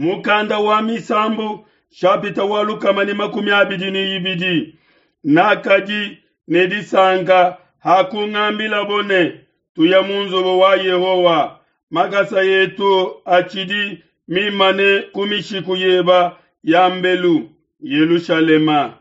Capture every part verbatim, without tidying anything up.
Mukanda wa Misambu shapita wa lukama ne makumi abidi ne ibidi nakadi ne disanka hakungambilabo ne tuya mu nzubu wa Yehowa. Makasa etu atshidi mimane ku mishiku yeba ya mbelu Yelushalema.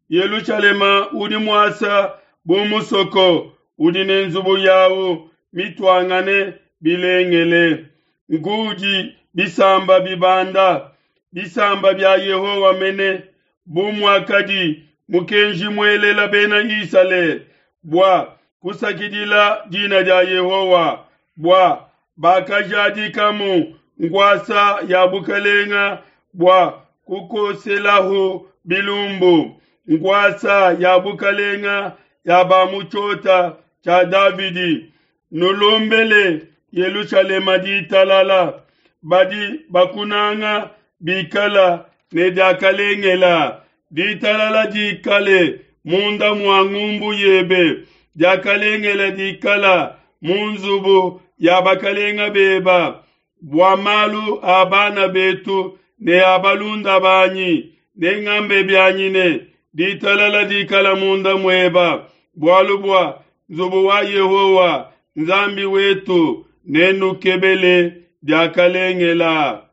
Yelushalema udi muasa bu musoko udi ne nzubu yawu mituangane bilengele. Nkudi bisamba bibanda, bisamba bia Yehowa mene, bu muakadi mukenji muelela bena Isalele bua kusakidila dina dia Yehowa, bua bakajadikamu nkuasa ya bukalenga bua kukoselahu bilumbu, nkuasa ya bukalenga ya ba mu tshiota tshia Davidi. Nulombele Yelushalema ditalala, badi bakunanga bikala ne diakalengela. Ditalala dikale munda mua ngumbu yebe, diakalengela dikala mu nzubu ya bakalenga beba. Bua malu a bana betu ne a balunda banyi, nengambe bianyi ne ditalala dikala munda mueba, bualu bua nzubu wa Yehowa Nzambi wetu nenukebele diakalengela.